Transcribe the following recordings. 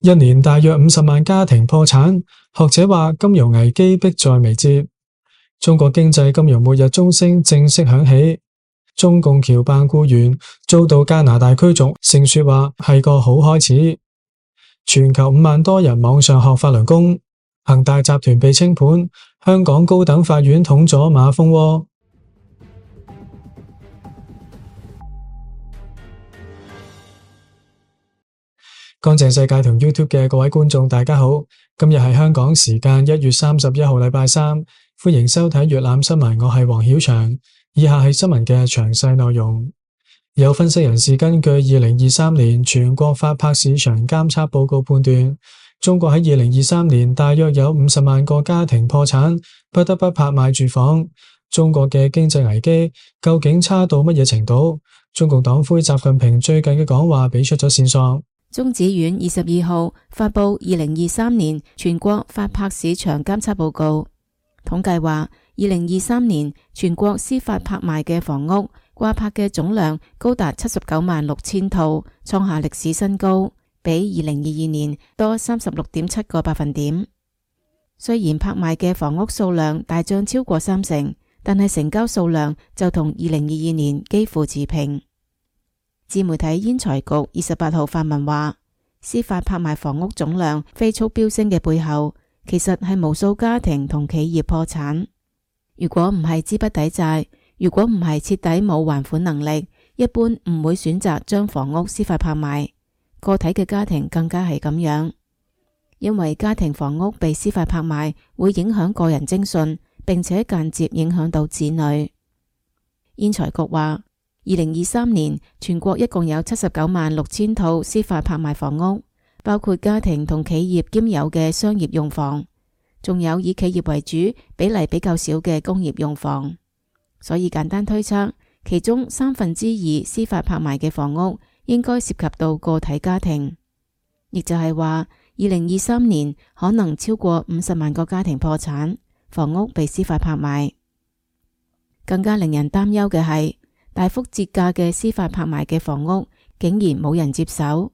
一年大約50萬家庭破產，學者話金融危機迫在眉睫。中國經濟金融末日鐘聲正式響起，中共僑辦僱員遭到加拿大驅逐，盛說話係個好開始。全球5萬多人網上學法輪功，恒大集團被清盤，香港高等法院捅咗馬蜂窩。乾淨世界同 YouTube 嘅各位觀眾大家好，今日係香港時間1月31號禮拜三，歡迎收睇粵覽新聞，我係黃曉翔。以下係新聞嘅詳細內容。有分析人士根據2023年全國法拍市場監測報告判斷，中國喺2023年大約有50萬個家庭破產，不得不拍賣住房。中國嘅經濟危機究竟差到乜嘢程度？中共黨魁習近平最近嘅講話俾出咗線索。中指院22號發佈2023年全國法拍市場監測報告，統計話2023年全國司法拍賣嘅房屋掛拍嘅總量高達79萬6千套，創下歷史新高，比2022年多36.7個百分點。雖然拍賣嘅房屋數量大漲超過30%，但係成交數量就同2022年幾乎持平。自媒體煙財局28號發文話，司法拍賣房屋總量飛速飆升嘅背後，其實係無數家庭同企業破產。如果唔係資不抵債，如果唔係徹底冇還款能力，一般唔會選擇將房屋司法拍賣。個體嘅家庭更加係咁樣，因為家庭房屋被司法拍賣會影響個人徵信，並且間接影響到子女。煙財局話，2023年全國一共有79萬6千套司法拍賣房屋，包括家庭同企業兼有嘅商業用房，仲有以企業為主、比例比較少嘅工業用房。所以簡單推測，其中2/3司法拍賣嘅房屋應該涉及到個體家庭，亦就係話2023年可能超過50萬個家庭破產，房屋被司法拍賣。更加令人擔憂嘅係，大幅折價嘅司法拍賣嘅房屋竟然冇人接手。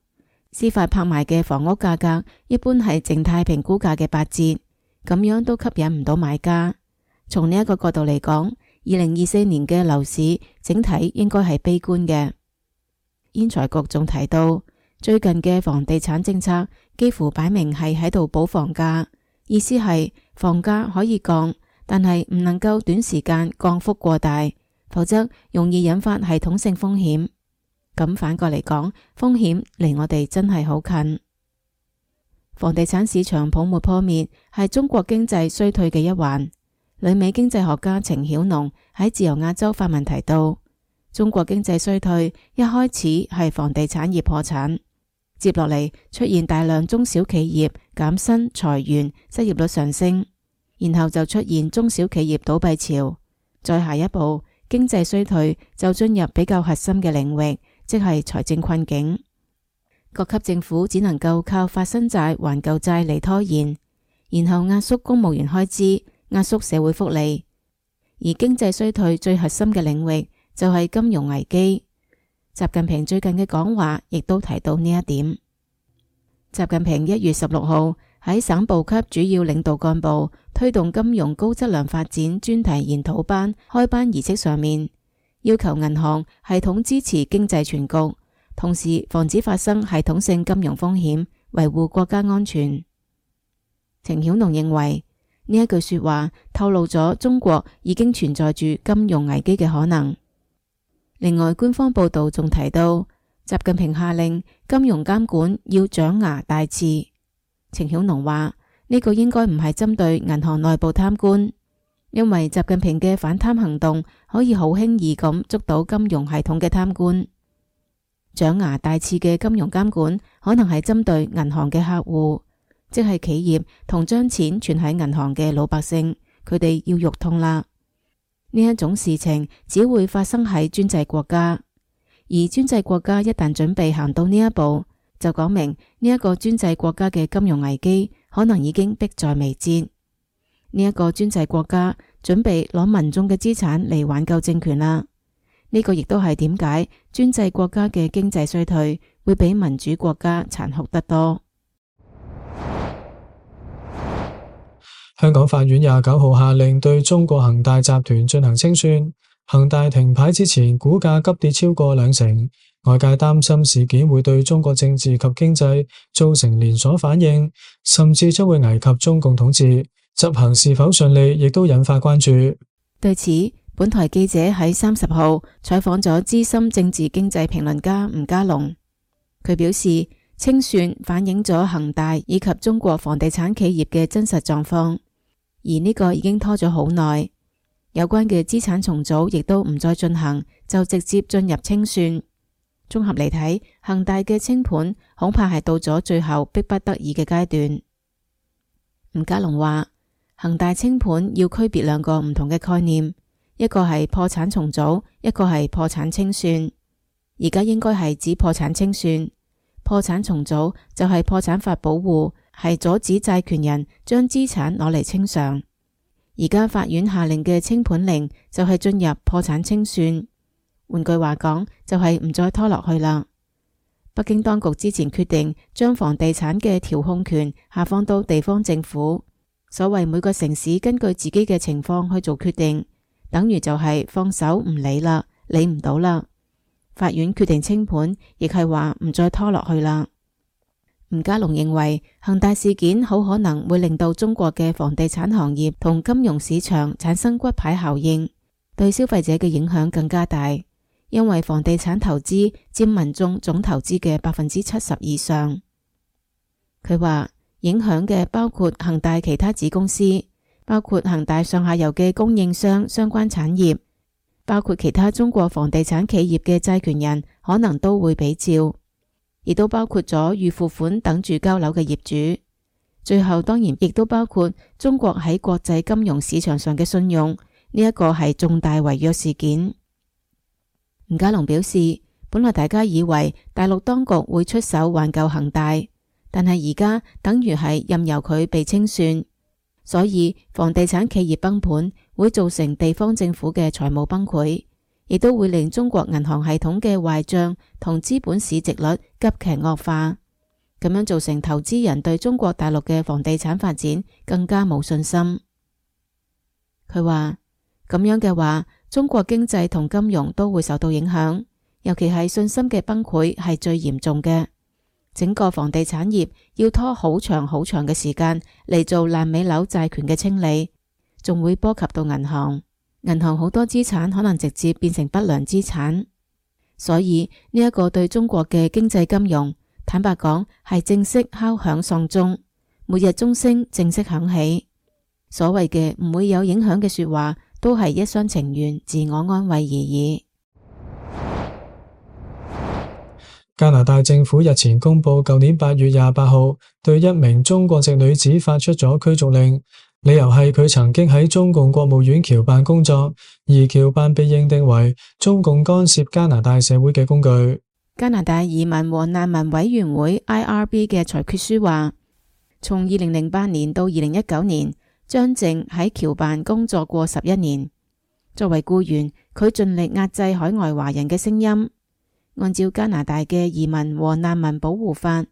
司法拍賣嘅房屋價格一般係靜態評估價嘅8折，咁樣都吸引唔到買家。從呢一個角度嚟講，2024年嘅樓市整體應該係悲觀嘅。煙財局仲提到，最近嘅房地產政策幾乎擺明係喺度保房價，意思係房價可以降，但係唔能夠短時間降幅過大，否則容易引發系統性風險。咁反過嚟講，風險離我哋真係好近。房地產市場泡沫破滅係中國經濟衰退嘅一環。旅美經濟學家程曉農喺自由亞洲發文提到，中國經濟衰退一開始係房地產業破產，接落嚟出現大量中小企業減薪裁員，失業率上升，然後就出現中小企業倒閉潮，再下一步經濟衰退就進入比較核心嘅領域，即係財政困境。各級政府只能夠靠發新債還舊債嚟拖延，然後壓縮公務員開支，壓縮社會福利。而經濟衰退最核心嘅領域就係金融危機。習近平最近嘅講話亦都提到呢一點。習近平1月16號喺省部級主要領導幹部推動金融高質量發展專題研討班開班儀式上面，要求銀行系統支持經濟全局，同時防止發生系統性金融風險，維護國家安全。程曉農認為，呢一句說話透露咗中國已經存在住金融危機嘅可能。另外，官方報道仲提到，習近平下令金融監管要長牙大刺。程曉農話，呢個應該唔係針對銀行內部貪官，因為習近平嘅反貪行動可以好輕易咁捉到金融系統嘅貪官。長牙大刺嘅金融監管可能係針對銀行嘅客戶，即係企業同將錢存喺銀行嘅老百姓，佢哋要肉痛啦。呢一種事情只會發生喺專制國家，而專制國家一旦準備行到呢一步，就講明呢一個專制國家嘅金融危機可能已經迫在眉睫。呢一個專制國家準備攞民眾嘅資產嚟挽救政權啦。呢個亦都係點解專制國家嘅經濟衰退會比民主國家殘酷得多。香港法院29號下令對中國恒大集團進行清算，恒大停牌之前股價急跌超過20%，外界擔心事件會對中國政治及經濟造成連鎖反應，甚至將會危及中共統治，執行是否順利亦都引發關注。對此，本台記者喺30號採訪咗資深政治經濟評論家吳家龍，佢表示清算反映咗恒大以及中國房地產企業嘅真實狀況。而呢個已經拖咗好耐，有關嘅資產重組亦都唔再進行，就直接進入清算。綜合嚟睇，恒大嘅清盤恐怕係到咗最後迫不得已嘅階段。吳家龍話，恒大清盤要區別兩個唔同嘅概念，一個係破產重組，一個係破產清算。而家應該係指破產清算，破產重組就係破產法保護，係阻止債權人將資產攞嚟清償。而家法院下令嘅清盤令就係進入破產清算，換句話講就係唔再拖落去啦。北京當局之前決定將房地產嘅調控權下放到地方政府，所謂每個城市根據自己嘅情況去做決定，等於就係放手唔理啦，理唔到啦。法院決定清盤，亦係話唔再拖落去啦。吳家龍認為恒大事件好可能會令到中國嘅房地產行業同金融市場產生骨牌效應，對消費者嘅影響更加大，因為房地產投資佔民眾總投資嘅70%以上。佢話影響嘅包括恒大其他子公司，包括恒大上下游嘅供應商相關產業，包括其他中國房地產企業嘅債權人可能都會比照，亦都包括咗預付款等住交樓嘅業主，最後當然亦都包括中國喺國際金融市場上嘅信用，呢一個係重大違約事件。吳家龍表示，本來大家以為大陸當局會出手挽救恒大，但係而家等於係任由佢被清算，所以房地產企業崩盤會造成地方政府嘅財務崩潰，亦都會令中國銀行系統嘅壞賬同資本市值率急劇惡化，咁樣造成投資人對中國大陸嘅房地產發展更加冇信心。佢話咁樣嘅話，中國經濟同金融都會受到影響，尤其係信心嘅崩潰係最嚴重嘅。整個房地產業要拖好長好長嘅時間嚟做爛尾樓債權嘅清理，仲會波及到銀行。銀行好多資產可能直接變成不良資產，所以呢一個對中國嘅經濟金融，坦白講係正式敲響喪鐘，末日鐘聲正式響起。所謂嘅唔會有影響嘅說話，都係一廂情願、自我安慰而已。加拿大政府日前公布，舊年8月28號對一名中國籍女子發出咗驅逐令，理由係佢曾經喺中共國務院僑辦工作，而僑辦被認定為中共干涉加拿大社會嘅工具。加拿大移民和難民委員會 IRB 嘅裁決書話，從2008年到2019年，張靜喺僑辦工作過11年。作為僱員，佢盡力壓制海外華人嘅聲音。按照加拿大嘅移民和難民保護法，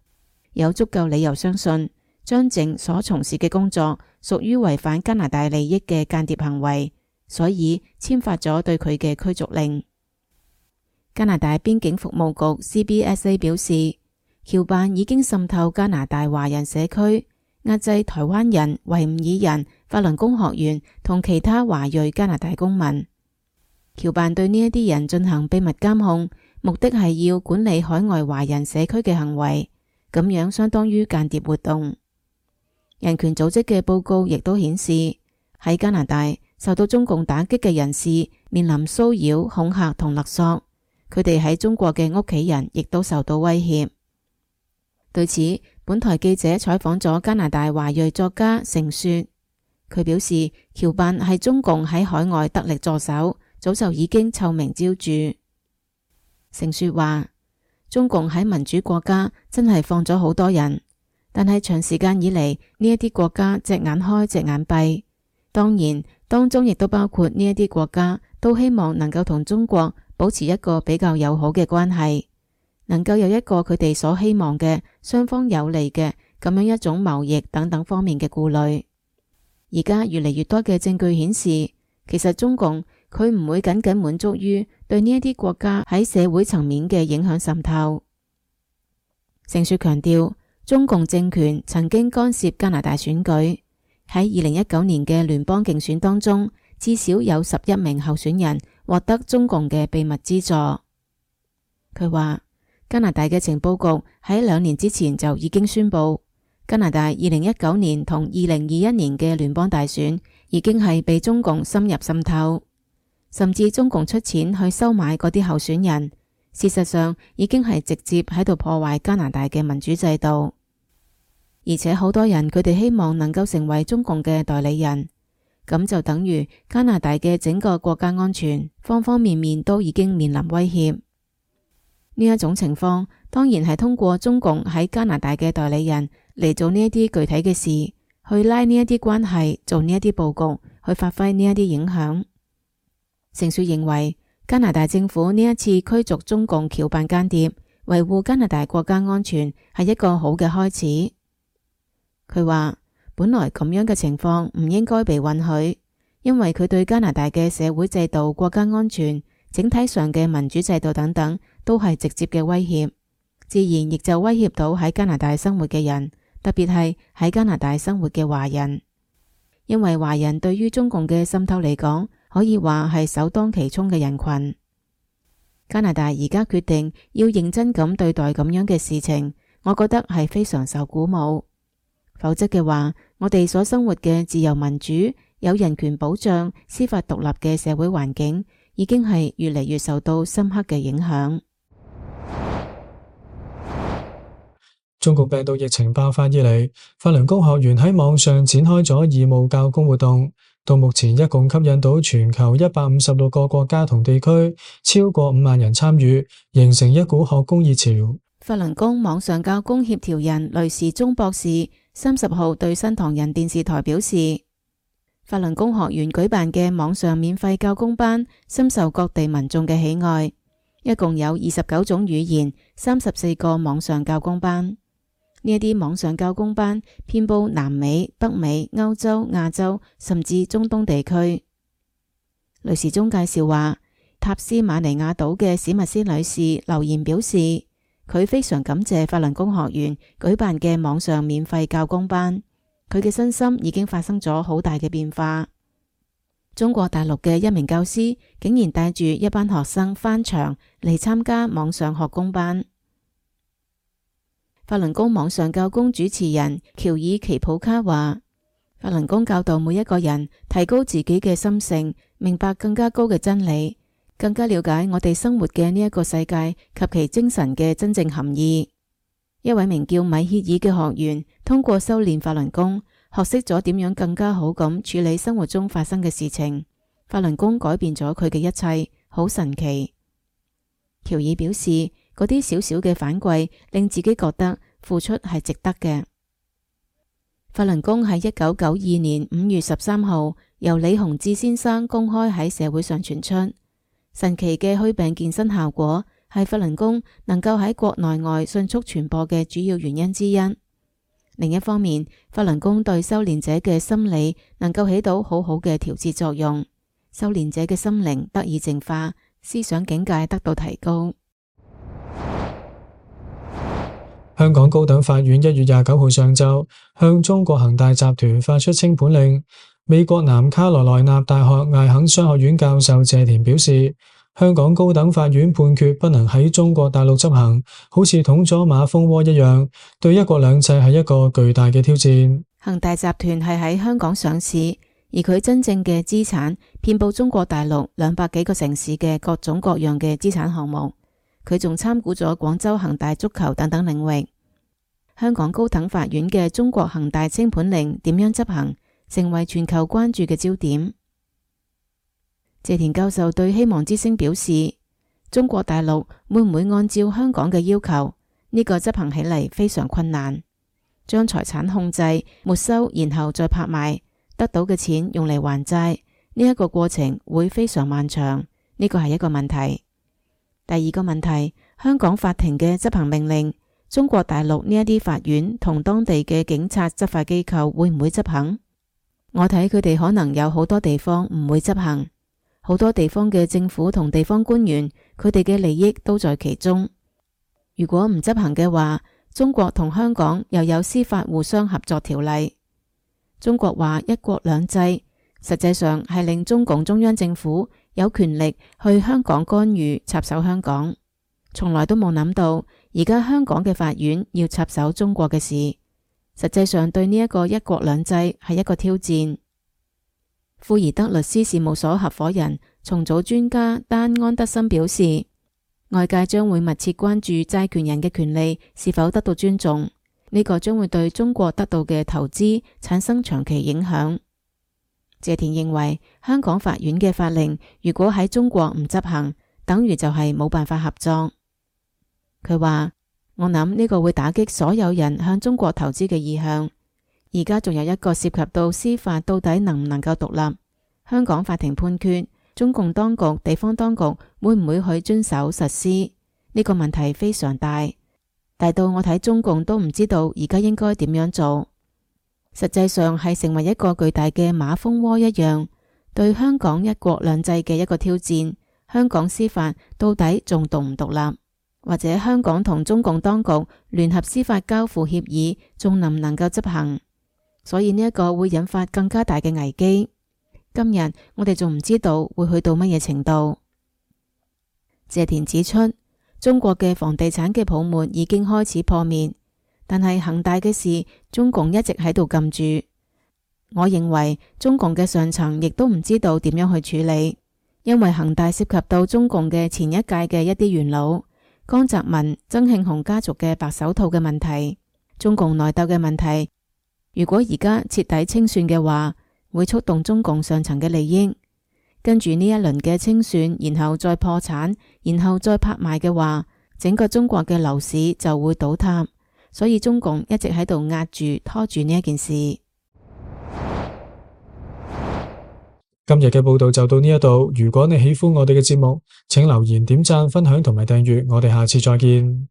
有足夠理由相信張靜所從事嘅工作屬於違反加拿大利益嘅間諜行為，所以簽發咗對佢嘅驅逐令。加拿大邊境服務局 CBSA 表示，僑辦已經滲透加拿大華人社區，壓制台灣人、維吾爾人、法輪功學員同其他華裔加拿大公民。僑辦對呢一啲人進行秘密監控，目的係要管理海外華人社區嘅行為，咁樣相當於間諜活動。人權組織嘅報告亦都顯示，喺加拿大受到中共打擊嘅人士面臨騷擾、恐嚇同勒索，佢哋喺中國嘅屋企人亦都受到威脅。對此，本台記者採訪咗加拿大華裔作家成雪，佢表示僑辦係中共喺海外得力助手，早就已經臭名昭著。成雪話，中共喺民主國家真係放咗好多人，但係長時間以嚟呢一啲國家隻眼開隻眼閉，當然當中亦都包括呢一啲國家都希望能夠同中國保持一個比較友好嘅關係，能夠有一個佢哋所希望嘅雙方有利嘅咁樣一種貿易等等方面嘅顧慮。而家越嚟越多嘅證據顯示，其實中共佢唔會僅僅滿足於對呢一啲國家喺社會層面嘅影響滲透。盛雪強調，中共政權曾經干涉加拿大選舉，喺2019年嘅聯邦競選當中，至少有11名候選人獲得中共嘅秘密資助。佢話，加拿大嘅情報局喺2年之前就已經宣布，加拿大2019年同2021年嘅聯邦大選已經係被中共深入滲透，甚至中共出錢去收買嗰啲候選人，事實上已經係直接喺度破壞加拿大嘅民主制度。而且好多人佢哋希望能夠成為中共嘅代理人，咁就等於加拿大嘅整個國家安全方方面面都已經面臨威脅。呢一種情況當然係通過中共喺加拿大嘅代理人嚟做呢一啲具體嘅事，去拉呢一啲關係，做呢一啲佈局，去發揮呢一啲影響。盛雪認為，加拿大政府呢一次驅逐中共僑辦間諜，維護加拿大國家安全係一個好嘅開始。佢話，本來咁樣嘅情況唔應該被允許，因為佢對加拿大嘅社會制度、國家安全、整體上嘅民主制度等等都係直接嘅威脅，自然亦就威脅到喺加拿大生活嘅人，特別係喺加拿大生活嘅華人。因為華人對於中共嘅滲透嚟講，可以話係首當其衝嘅人群。加拿大而家決定要認真咁對待咁樣嘅事情，我覺得係非常受鼓舞。否則嘅話，我哋所生活嘅自由民主、有人權保障、司法獨立嘅社會環境，已經係越嚟越受到深刻嘅影響。中國病毒疫情爆發以嚟，法輪功學員喺網上展開咗義務教功活動，到目前一共吸引到全球156個國家同地區，超過5萬人參與，形成一股學功熱潮。法輪功網上教功協調人雷時中博士30號對新唐人電視台表示，法輪功學員舉辦嘅網上免費教功班深受各地民眾嘅喜愛，一共有29種語言、34個網上教功班。呢一啲網上教功班遍佈南美、北美、歐洲、亞洲，甚至中東地區。雷時中介紹話，塔斯馬尼亞島嘅史密斯女士留言表示，佢非常感謝法輪功學員舉辦嘅網上免費教功班，佢嘅身心已經發生咗好大嘅變化。中國大陸嘅一名教師竟然帶住一班學生返場嚟參加網上學功班。法輪功網上教功主持人喬爾奇普卡話，法輪功教導每一個人提高自己嘅心性，明白更加高嘅真理，更加了解我哋生活嘅呢一個世界及其精神嘅真正含義。一位名叫米歇爾嘅學員通過修煉法輪功，學識咗點樣更加好咁處理生活中發生嘅事情。法輪功改變咗佢嘅一切，好神奇。喬爾表示，嗰啲小小嘅反饋令自己覺得付出係值得嘅。法輪功喺1992年5月13號由李洪志先生公開喺社會上傳出，神奇嘅祛病健身效果係法輪功能夠喺國內外迅速傳播嘅主要原因之一。另一方面，法輪功對修煉者嘅心理能夠起到好好嘅調節作用，修煉者嘅心靈得以淨化，思想境界得到提高。香港高等法院1月29號上晝向中國恒大集團發出清盤令。美國南卡羅來納大學艾肯商學院教授謝田表示，香港高等法院判決不能喺中國大陸執行，好似捅咗馬蜂窩一樣，對一國兩制係一個巨大嘅挑戰。恒大集團係喺香港上市，而佢真正嘅資產遍佈中國大陸200幾個城市嘅各種各樣嘅資產項目。佢仲參股咗廣州恒大足球等等領域。香港高等法院嘅中國恒大清盤令點樣執行，成為全球關注嘅焦點。謝田教授對希望之聲表示，中國大陸會唔會按照香港嘅要求，呢個執行起嚟非常困難，將財產控制、沒收，然後再拍賣，得到嘅錢用嚟還債，呢一個過程會非常漫長，呢個係一個問題。第二個問題，香港法庭嘅執行命令，中國大陸呢一啲法院同當地嘅警察執法機構會唔會執行？我睇佢哋可能有好多地方唔會執行，好多地方嘅政府同地方官員，佢哋嘅利益都在其中。如果唔執行嘅話，中國同香港又有司法互相合作條例。中國話一國兩制，實際上係令中共中央政府有權力去香港干預插手香港，從來都冇諗到而家香港嘅法院要插手中國嘅事，實際上對呢一個一國兩制係一個挑戰。庫爾德律師事務所合夥人、重組專家丹安德森表示，外界將會密切關注債權人嘅權利是否得到尊重，呢個將會對中國得到嘅投資產生長期影響。謝田認為，香港法院嘅法令如果喺中國唔執行，等於就係冇辦法合作。佢話：我諗呢個會打擊所有人向中國投資嘅意向。而家仲有一個涉及到司法到底能唔能夠獨立。香港法庭判決，中共當局、地方當局會唔會去遵守實施？呢個問題非常大，大到我睇中共都唔知道而家應該點樣做。實際上係成為一個巨大嘅馬蜂窩一樣，對香港一國兩制嘅一個挑戰。香港司法到底仲獨唔獨立？或者香港同中共當局聯合司法交付協議仲能唔能夠執行？所以呢一個會引發更加大嘅危機。今日我哋仲唔知道會去到乜嘢程度。謝田指出，中國嘅房地產嘅泡沫已經開始破滅，但係恒大嘅事，中共一直喺度撳住。我認為中共嘅上層亦都唔知道點樣去處理，因為恒大涉及到中共嘅前一屆嘅一啲元老，江澤民、曾慶紅家族嘅白手套嘅問題，中共內鬥嘅問題。如果而家徹底清算嘅話，會觸動中共上層嘅利益，跟住呢一輪嘅清算，然後再破產，然後再拍賣嘅話，整個中國嘅樓市就會倒塌。所以中共一直喺度壓住拖住呢一件事。今日嘅報道就到呢一度，如果你喜歡我哋嘅節目，請留言、點讚、分享同埋訂閱，我哋下次再見。